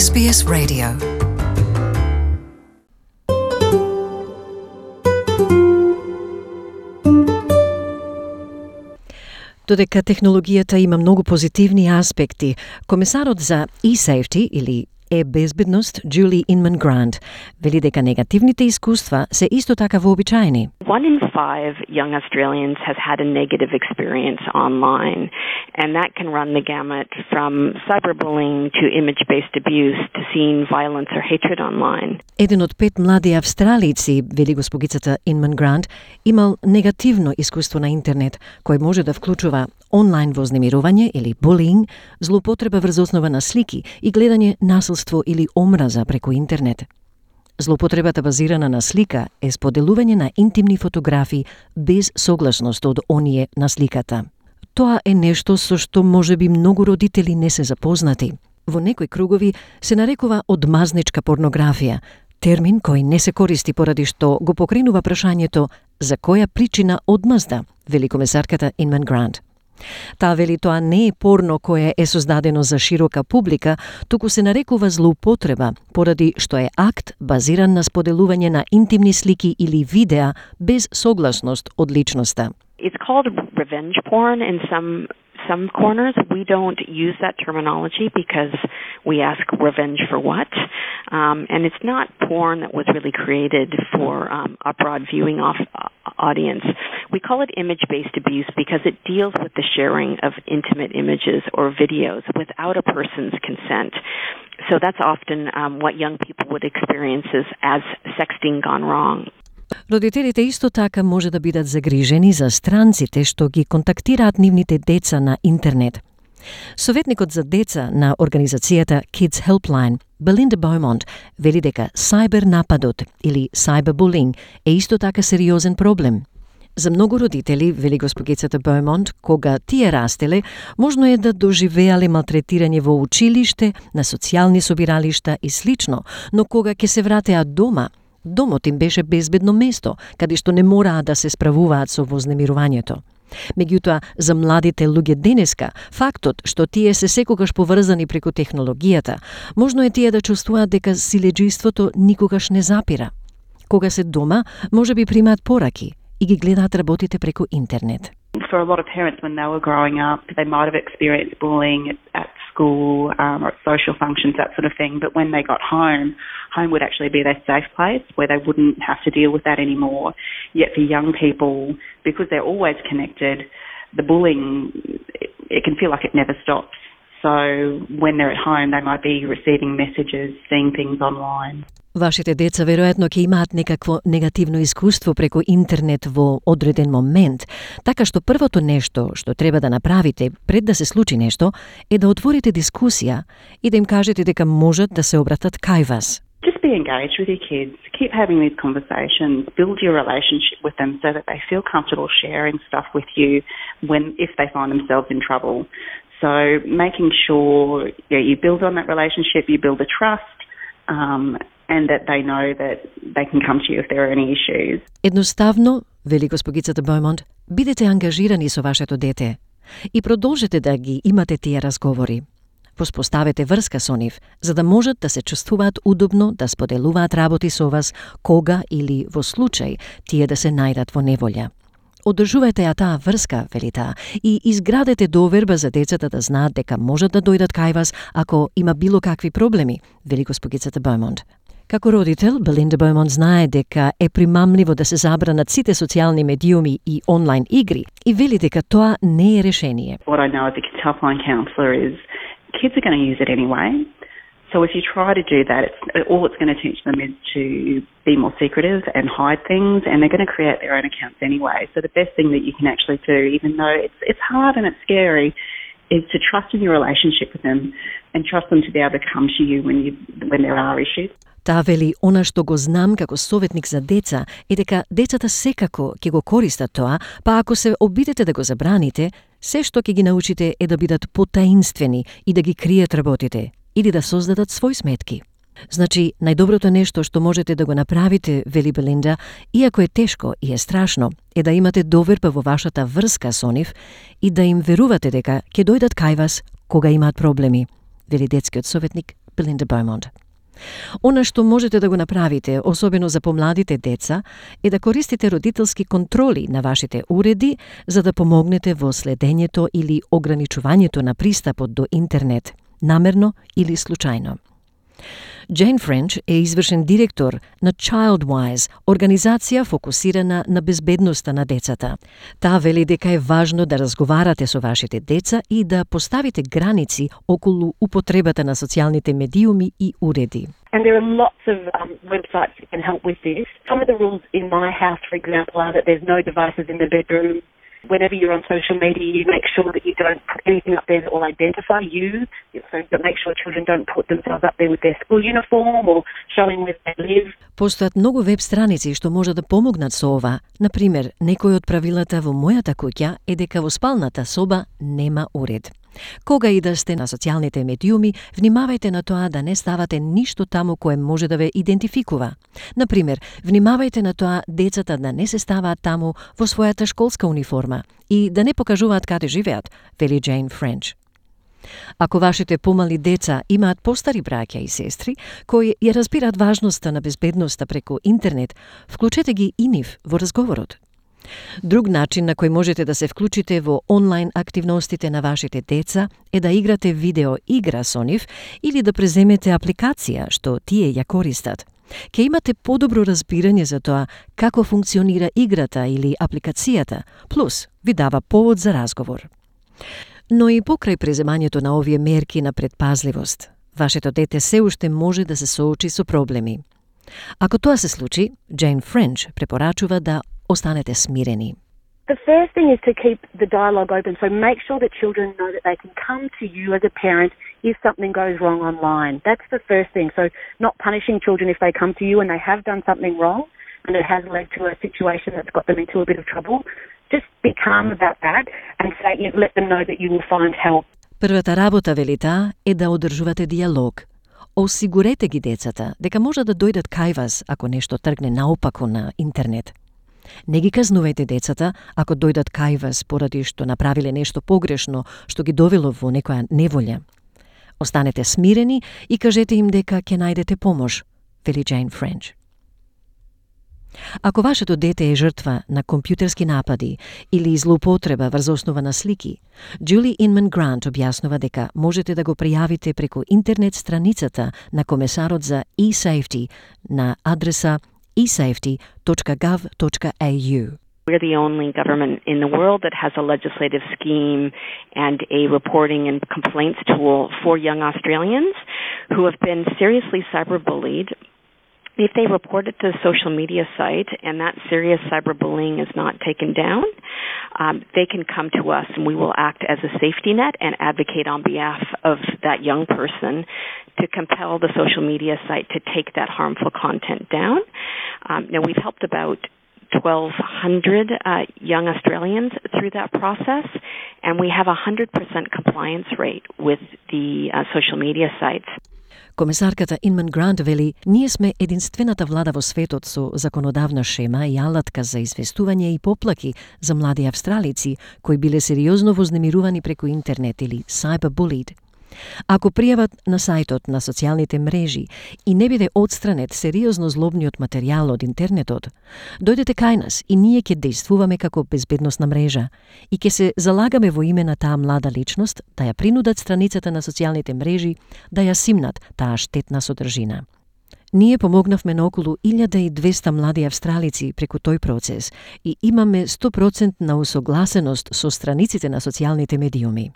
SBS Radio. Додека технологијата има многу позитивни аспекти, комесарот за e-safety или е-безбедност Julie Inman Grant вели дека негативните искуства се исто така вообичаени. 1 in 5 young Australians has had a negative experience online, and that can run the gamut from cyberbullying to image-based abuse to seeing violence or hatred online. Еден од 5 млади австралици, вели госпогицата Inman Grant, имал негативно искуство на интернет, кој може да вклучува онлайн вознемирување или булинг, злоупотреба врз основа на слики и гледање насилство или омраза преку интернет. Злоупотребата базирана на слика е споделување на интимни фотографии без согласност од оние на сликата. Тоа е нешто со што можеби многу родители не се запознати. Во некои кругови се нарекува одмазничка порнографија, термин кој не се користи поради што го покренува прашањето за која причина одмазда, вели комесарката Inman Grant. Таа вели тоа не е порно кое е создадено за широка публика, туку се нарекува злоупотреба, поради што е акт базиран на споделување на интимни слики или видеа без согласност од личноста. It's called revenge porn in some corners. We don't use that terminology because we ask revenge for what? And it's not porn that was really created for a broad viewing audience. We call it image-based abuse because it deals with the sharing of intimate images or videos without a person's consent. So that's often what young people would experience as sexting gone wrong. Родителите исто така може да бидат загрижени за странците што ги контактираат нивните деца на интернет. Советникот за деца на организацијата Kids Helpline, Belinda Beaumont, вели дека сайбер нападот или cyberbullying е исто така сериозен проблем. За многу родители, вели госпогицата Beaumont, кога тие растеле, можно е да доживеале малтретирање во училиште, на социјални собиралишта и слично, но кога ќе се вратеа дома, домот им беше безбедно место, каде што не мораа да се справуваат со вознемирувањето. Меѓутоа, за младите луѓе денеска, фактот што тие се секогаш поврзани преку технологијата, можно е тие да чувствуваат дека силеџиството никогаш не запира. Кога се дома, може би примаат пораки и ги гледаат работите преку интернет. For a lot of parents, when they were growing up, they might have experienced bullying at school or at social functions, that sort of thing. But when they got home, home would actually be their safe place where they wouldn't have to deal with that anymore. Yet for young people, because they're always connected, the bullying, it can feel like it never stops. So when they're at home, they might be receiving messages, seeing things online. Вашите деца веројатно ќе имаат некакво негативно искуство преку интернет во одреден момент, така што првото нешто што треба да направите пред да се случи нешто е да отворите дискусија и да им кажете дека можат да се обратат кај вас. Just be engaged with your kids. Keep having these conversations. Build your relationship with them so that they feel comfortable sharing stuff with you if they find themselves in trouble. So making sure you build on that relationship, you build a trust, and that they know that they can come to you if there are any issues. Едноставно, вели госпогицата Beaumont, бидете ангажирани со вашето дете и продолжете да ги имате тие разговори. Воспоставете врска со нив, за да можат да се чувствуваат удобно да споделуваат работи со вас кога или во случај тие да се најдат во неволја. Одржувајте ја таа врска, вели таа, и изградете доверба за децата да знаат дека можат да дојдат кај вас ако има било какви проблеми, вели госпогицата Beaumont. Како родител, Belinda Beaumont знае дека е примамливо да се забранат сите социјални медиуми и онлайн игри и вели дека тоа не е решение. What I know as a Kids Helpline counsellor is kids are going to use it anyway. So if you try to do that, all it's going to teach them is to be more secretive and hide things, and they're going to create their own accounts anyway. So the best thing that you can actually do, even though it's hard and it's scary, is to trust in your relationship with them and trust them to be able to come to you when there are issues. Таа вели, она што го знам како советник за деца е дека децата секако ќе го користат тоа, па ако се обидете да го забраните, се што ќе ги научите е да бидат потаинствени и да ги кријат работите или да создадат свој сметки. Значи, најдоброто нешто што можете да го направите, вели Белинда, иако е тешко и е страшно, е да имате доверба во вашата врска со нив и да им верувате дека ќе дојдат кај вас кога имаат проблеми, вели детскиот советник Belinda Beaumont. Она што можете да го направите, особено за помладите деца, е да користите родителски контроли на вашите уреди за да помогнете во следењето или ограничувањето на пристапот до интернет, намерно или случајно. Jane French е извршен директор на Childwise, организација фокусирана на безбедноста на децата. Таа вели дека е важно да разговарате со вашите деца и да поставите граници околу употребата на социјалните медиуми и уреди. And there are lots of websites that can help with this. Some of the rules in my house, for example, are that there's no devices in the bedroom. Whenever you're on social media, you make sure that you don't put anything up there that will identify you. So make sure children don't put themselves up there with their school uniform or showing where they live. Постојат многу веб страници што може да помогнат со ова. Например, некој од правилата во мојата куќа е дека во спалната соба нема уред. Кога и да сте на социјалните медиуми, внимавајте на тоа да не ставате ништо таму кое може да ве идентификува. Например, внимавајте на тоа децата да не се ставаат таму во својата школска униформа и да не покажуваат каде живеат, вели Jane French. Ако вашите помали деца имаат постари браќа и сестри кои ја разбираат важноста на безбедноста преку интернет, вклучете ги и нив во разговорот. Друг начин на кој можете да се вклучите во онлайн активностите на вашите деца е да играте видео игра со нив или да преземете апликација што тие ја користат. Ке имате подобро разбирање за тоа како функционира играта или апликацијата, плюс ви дава повод за разговор. Но и покрај преземањето на овие мерки на предпазливост, вашето дете се уште може да се соочи со проблеми. Ако тоа се случи, Jane French препорачува да останете смирени. The first thing is to keep the dialogue open, so make sure that children know that they can come to you as a parent if something goes wrong online. That's the first thing. So not punishing children if they come to you and they have done something wrong and it has led to a situation that's got them into a bit of trouble. Just be calm about that and say, let them know that you will find help. Првата работа, вели таа, е да одржувате диалог. Осигурете ги децата дека може да дојдат кај вас ако нешто тргне наопаку на интернет. Не ги казнувајте децата ако дојдат кај вас поради што направиле нешто погрешно што ги довело во некоја неволја. Останете смирени и кажете им дека ќе најдете помош, вели Jane French. Ако вашето дете е жртва на компјутерски напади или злоупотреба врз основа на слики, Julie Inman Grant објаснува дека можете да го пријавите преку интернет страницата на Комесарот за e-Safety на адреса esafety.gov.au. We're the only government in the world that has a legislative scheme and a reporting and complaints tool for young Australians who have been seriously cyberbullied. If they report it to the social media site and that serious cyberbullying is not taken down, they can come to us and we will act as a safety net and advocate on behalf of that young person to compel the social media site to take that harmful content down. Now, we've helped about 1,200 young Australians through that process, and we have a 100% compliance rate with the social media sites. Комесарката Inman Grant вели, ние сме единствената влада во светот со законодавна шема и алатка за известување и поплаки за млади австралици кои биле сериозно вознемирувани преку интернет или cyberbullied. Ако пријават на сајтот на социјалните мрежи и не биде отстранет сериозно злобниот материјал од интернетот, дојдете кај нас и ние ќе действуваме како безбедносна мрежа и ќе се залагаме во име на таа млада личност да ја принудат страницата на социјалните мрежи да ја симнат таа штетна содржина. Ние помогнавме на околу 1200 млади австралици преку тој процес и имаме 100% на усогласеност со страниците на социјалните медиуми.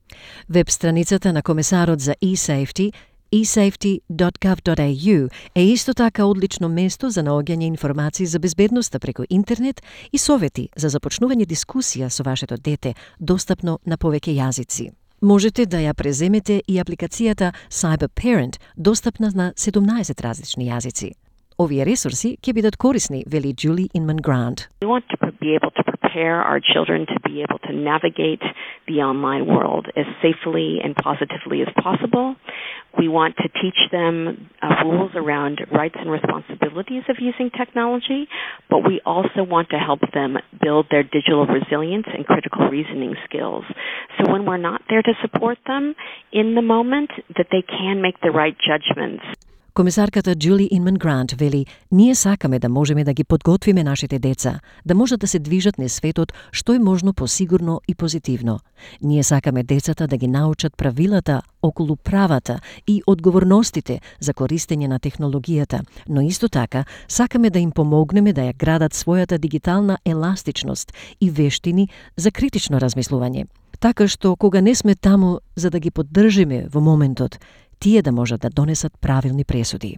Веб страницата на Комесарот за e-Safety, esafety.gov.au, е исто така одлично место за наоѓање информации за безбедноста преку интернет и совети за започнување дискусија со вашето дете, достапно на повеќе јазици. Можете да ја преземете и апликацијата Cyber Parent, достапна на 17 различни јазици. Овие ресурси ќе бидат корисни, вели Julie Inman Grant. We want to be able to prepare prepare our children to be able to navigate the online world as safely and positively as possible. We want to teach them rules around rights and responsibilities of using technology, but we also want to help them build their digital resilience and critical reasoning skills. So when we're not there to support them in the moment, that they can make the right judgments. Комисарката Джули Инман Грант вели: ние сакаме да можеме да ги подготвиме нашите деца, да можат да се движат низ светот што е можно посигурно и позитивно. Ние сакаме децата да ги научат правилата околу правата и одговорностите за користење на технологијата, но исто така сакаме да им помогнеме да ја градат својата дигитална еластичност и вештини за критично размислување. Така што кога не сме таму за да ги поддржиме во моментот, тие да можат да донесат правилни пресуди.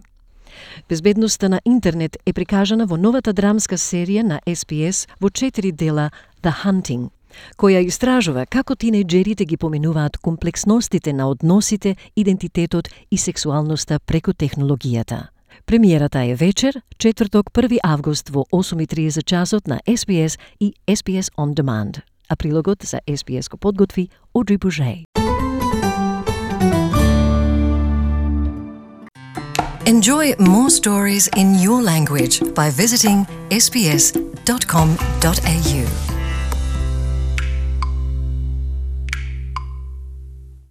Безбедноста на интернет е прикажана во новата драмска серија на SPS во 4 дела The Hunting, која истражува како тинејџерите ги поминуваат комплексностите на односите, идентитетот и сексуалноста преку технологијата. Премиерата е вечер, четврток 1 август во 8:30 часот на SPS и SPS On Demand. А прилогот за SPS го подготви Одри Бужей. Enjoy more stories in your language by visiting sbs.com.au.